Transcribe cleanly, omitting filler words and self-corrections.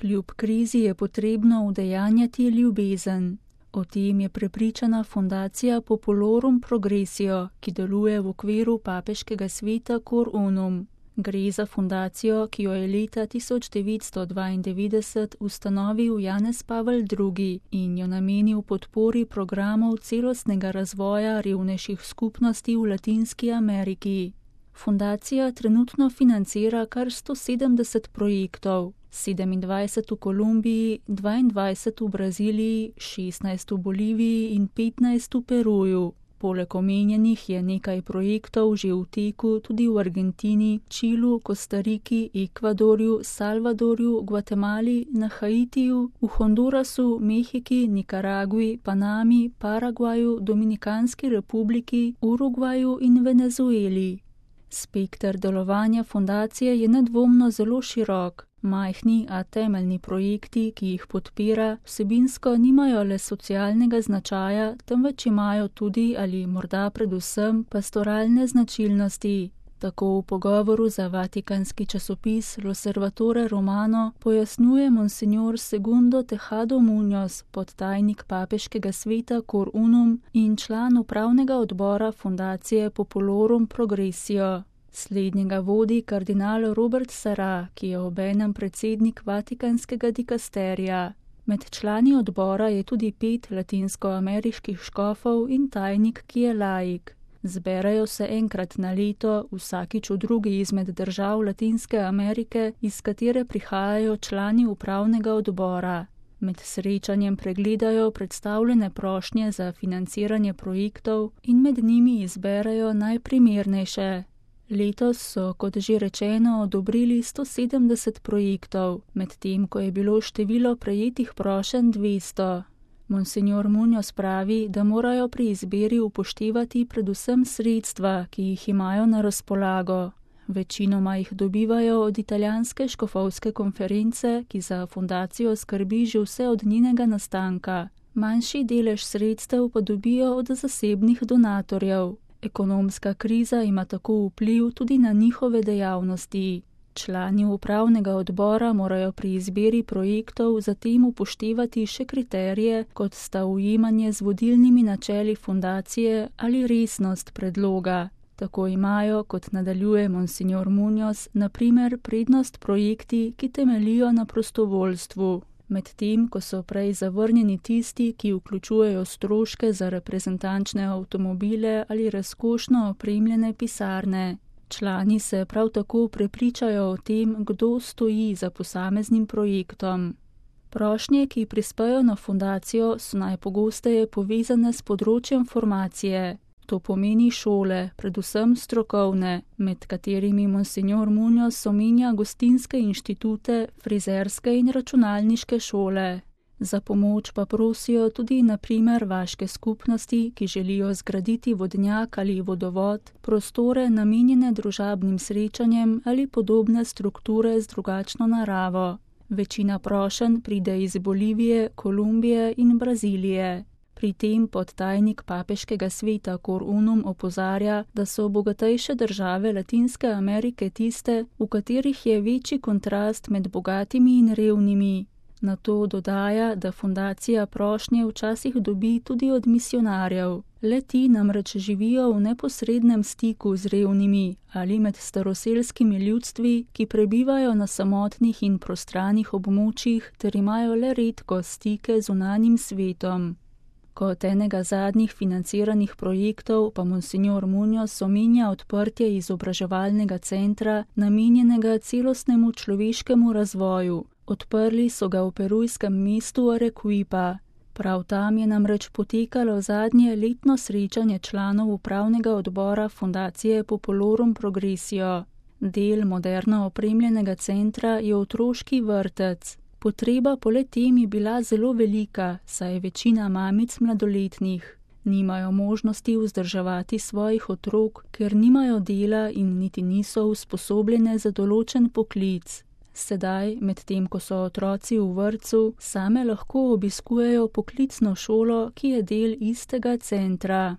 Kljub krizi je potrebno udejanjati ljubezen. O tem je prepričana fundacija Populorum Progressio, ki deluje v okviru papeškega sveta Cor Unum. Gre za fundacijo, ki jo je leta 1992 ustanovil Janez Pavel II. In jo namenil podpori programov celostnega razvoja revnejših skupnosti v Latinski Ameriki. Fundacija trenutno financira kar 170 projektov, 27 v Kolumbiji, 22 v Braziliji, 16 v Boliviji in 15 v Peruju. Poleg omenjenih je nekaj projektov že v teku tudi v Argentini, Čilu, Kostariki, Ekvadorju, Salvadorju, Gvatemali, na Haitiju, v Hondurasu, Mehiki, Nikaragvi, Panami, Paragvaju, Dominikanski republiki, Urugvaju in Venezueli. Spekter delovanja fundacije je nedvomno zelo širok. Majhni, a temeljni projekti, ki jih podpira, vsebinsko nimajo le socialnega značaja, temveč imajo tudi ali morda predvsem pastoralne značilnosti. Tako v pogovoru za vatikanski časopis L'Osservatore Romano pojasnjuje monsignor Segundo Tejado Muñoz, podtajnik papeškega sveta Cor Unum in član upravnega odbora fundacije Populorum Progressio. Slednjega vodi kardinal Robert Sarah, ki je obenem predsednik vatikanskega dikasterija. Med člani odbora je tudi 5 latinskoameriških škofov in tajnik, ki je laik. Zberajo se enkrat na leto, vsakič v drugi izmed držav Latinske Amerike, iz katere prihajajo člani upravnega odbora. Med srečanjem pregledajo predstavljene prošnje za financiranje projektov in med njimi izberajo najprimernejše. Letos so, kot že rečeno, odobrili 170 projektov, medtem ko je bilo število prejetih prošenj 200. Monsignor Muñoz pravi, da morajo pri izbiri upoštevati predvsem sredstva, ki jih imajo na razpolago. Večinoma jih dobivajo od italijanske škofovske konference, ki za fundacijo skrbi že vse od njenega nastanka. Manjši delež sredstev pa dobijo od zasebnih donatorjev. Ekonomska kriza ima tako vpliv tudi na njihove dejavnosti. Člani upravnega odbora morajo pri izbiri projektov zatem upoštevati še kriterije, kot sta ujemanje z vodilnimi načeli fundacije ali resnost predloga. Tako imajo, kot nadaljuje monsignor Muñoz, na primer prednost projekti, ki temeljijo na prostovoljstvu. Medtem ko so prej zavrnjeni tisti, ki vključujejo stroške za reprezentančne avtomobile ali razkošno opremljene pisarne. Člani se prav tako prepričajo o tem, kdo stoji za posameznim projektom. Prošnje, ki prispejo na fundacijo, so najpogosteje povezane s področjem formacije. To pomeni šole, predvsem strokovne, med katerimi monsignor Muñoz omenja gostinske inštitute, frizerske in računalniške šole. Za pomoč pa prosijo tudi na primer vaške skupnosti, ki želijo zgraditi vodnjak ali vodovod, prostore namenjene družabnim srečanjem ali podobne strukture z drugačno naravo. Večina prošenj pride iz Bolivije, Kolumbije in Brazilije. Pri tem podtajnik papeškega sveta Cor Unum opozarja, da so bogatejše države Latinske Amerike tiste, v katerih je večji kontrast med bogatimi in revnimi. Na to dodaja, da fundacija prošnje včasih dobi tudi od misionarjev. Le-ti namreč živijo v neposrednem stiku z revnimi ali med staroselskimi ljudstvi, ki prebivajo na samotnih in prostranih območjih ter imajo le redko stike z zunanjim svetom. Kot enega zadnjih financiranih projektov pa monsignor Muñoz omenja odprtje izobraževalnega centra, namenjenega celostnemu človeškemu razvoju. Odprli so ga v perujskem mestu Arequipa. Prav tam je namreč potekalo zadnje letno srečanje članov upravnega odbora fundacije Populorum Progressio. Del moderno opremljenega centra je otroški vrtec. Potreba po le-tem je bila zelo velika, saj je večina mamic mladoletnih. Nimajo možnosti vzdrževati svojih otrok, ker nimajo dela in niti niso usposobljene za določen poklic. Sedaj, medtem ko so otroci v vrtcu, same lahko obiskujejo poklicno šolo, ki je del istega centra.